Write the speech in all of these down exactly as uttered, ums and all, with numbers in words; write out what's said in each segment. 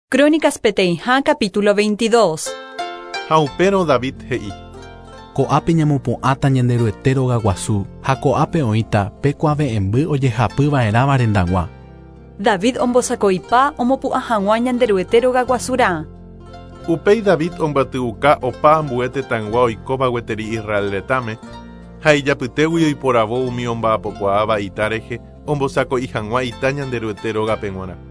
Crónicas peteĩha capítulo veintidós. Ha upérõ David he'i. Ko'ápe ñamopu'ãta Ñanderuete rogaguasu ha ko'ápe oĩta pe kuave'ẽmby ojehapyva'erãva rendag̃ua. David ombosako'ipa omopu'ã hag̃ua Ñanderuete rogaguasurã. Upéi David ombatyuka opa ambue tetãygua oikóva gueteri Israel retãme ha ijapytégui oiporavo umi omba'apokuaáva ita rehe ombosako'i hag̃ua ita Ñanderuete rógape g̃uarã.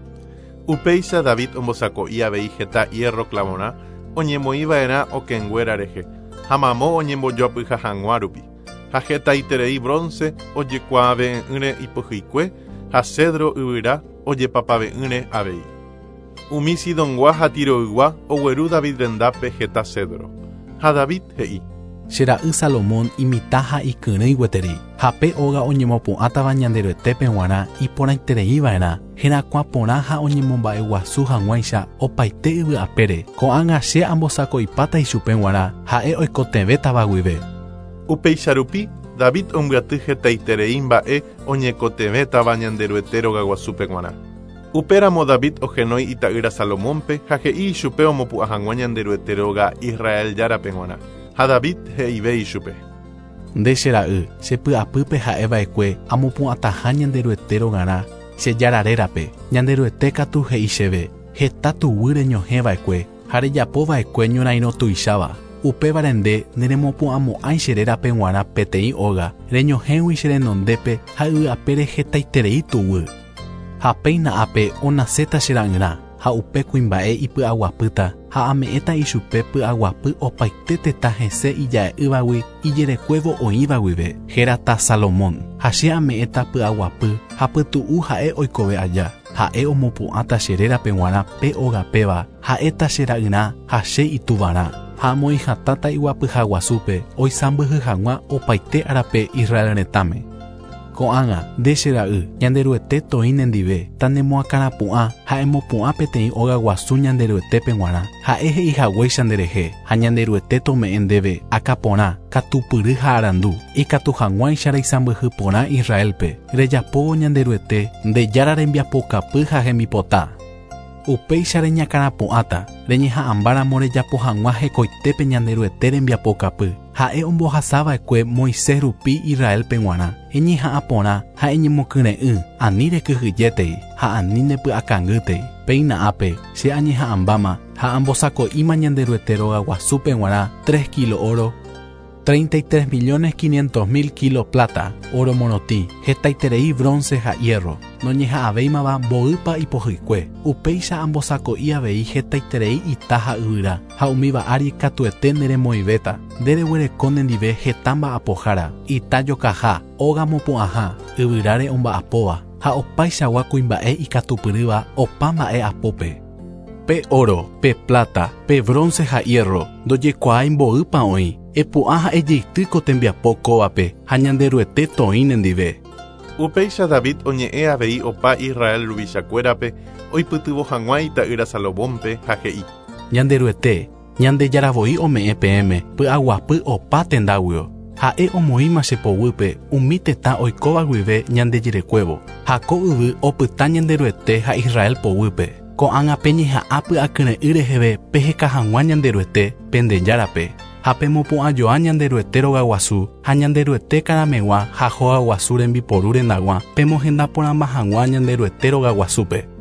Upéicha David ombosako'i avei heta hierro clavorã oñemoĩva'erã okẽnguéra rehe ha mamo oñembojoapyha hag̃ua rupi ha hetaiterei bronce ojekuaave'ỹre ipohyikue ha cedro yvyra ojepapave'ỹre avei. Umi Sidongua ha Tiroygua ogueru David rendápe heta cedro. Ha David he'i. Che ra'y Salomón imitã ha ikyrỹi gueteri ha pe óga oñemopu'ãtava Ñanderuetépe g̃uarã iporãitereiva'erã herakuã porã ha oñemomba'eguasu hag̃uáicha opaite yvy apére ko'ág̃a che ambosako'ipáta ichupe g̃uarã ha'e oikotevẽtava guive. Upéicha rupi David ombyaty hetaiterei mba'e oñekotevẽtava Ñanderuete rogaguasúpe g̃uarã. Upéramo David ohenói ita'ýra Salomónpe ha he'i ichupe omopu'ã hag̃ua Ñanderuete róga Israel járape g̃uarã. Ha David he'ive ichupe. Nde che ra'y, che py'apýpe ha'eva'ekue amopu'ãtaha Ñanderuete rogarã che jára rérape. Ñanderuete katu he'i chéve heta tuguy reñohẽva'ekue ha rejapova'ekue ñorairõ tuicháva. Upévare nde neremopu'ãmo'ãi che rérape g̃uarã peteĩ óga reñohẽgui che renondépe ha yvy apére hetaiterei tuguy. Ha péina ápe onaséta che ra'yrã ha upe kuimba'e ipy'aguapýta ha ame'ẽta ichupe py'aguapy opaite tetã hese ija'e'ỹvagui ijerekuévo oĩva guive hérata Salomón ha che ame'ẽta py'aguapy ha pytu'u ha'e oikove aja ha'e omopu'ãta che rérape g̃uarã pe ógapéva ha'éta che ra'yrã ha che ituvarã ha amoĩhatãta iguapyhaguasúpe oisãmbyhy hag̃ua opaite árape Israel retãme. Ko'ág̃a nde che ra'y Ñanderuete toĩ nendive tanemoakãrapu'ã ha emopu'ã peteĩ óga guasu Ñanderuetépe g̃uarã ha'e he'ihaguéicha nderehe ha Ñanderuete tome'ẽ ndéve akãporã katupyry ha arandu ikatu hag̃uáicha reisãmbyhy porã Israelpe rejapóvo Ñanderuete nde jára rembiapokapy ha hembipota. Upéicha reñakãrapu'ãta reñeha'ãmbáramo rejapo hag̃ua hekoitépe Ñanderuete rembiapokapy ha'e ombohasava'ekue Moisés rupi Israelpe g̃uarã eñeha'ã porã ha eñemokyre'ỹ ani rekyhyjétei ha ani ndepy'akangýtei péina ápe che añeha'ãmbáma ha ambosako'íma Ñanderuete rogaguasúpe g̃uarã tres kilo oro treinta y tres millones quinientos mil kilo plata, oro morotĩ, hetaiterei bronce ha hierro, noñeha'ãvéimava mboýpa ipohyikue. Upéicha ambosako'i avei hetaiterei ita ha yvyra, ha umíva ári katuete neremoĩvéta, ndereguereko nendive heta mba'apohára, ita jokaha, óga mopu'ãha, yvyráre omba'apóva, ha opaichagua kuimba'e ikatupyrýva opa mba'e apópe. Pe oro, pe plata, pe bronce ha hierro, ndojekuaái mboýpa oĩ, epu'ã ha ejeity ko tembiapo kóvape ha Ñanderuete toĩ nendive. Upéicha David oñe'ẽ avei opa Israel ruvichakuérape oipytyvõ hag̃ua ita'ýra Salomónpe ha he'i. Ñanderuete, Ñandejára voi ome'ẽ peẽme py'aguapy opa tendáguio. Ha'e omoĩma che poguýpe umi tetã oikóva guive ñandejerekuévo ha ko yvy opyta Ñanderuete ha Israel poguýpe. Ko'ág̃a peñeha'ã py'akyre'ỹ reheve peheka hag̃ua Ñanderuete pendejárape ha pemopu'ãjoa Ñanderuete rogaguasu ha Ñanderuete karameg̃ua ha hogaguasu rembiporu rendag̃ua pemohenda porãmba hag̃ua Ñanderuete rogaguasúpe.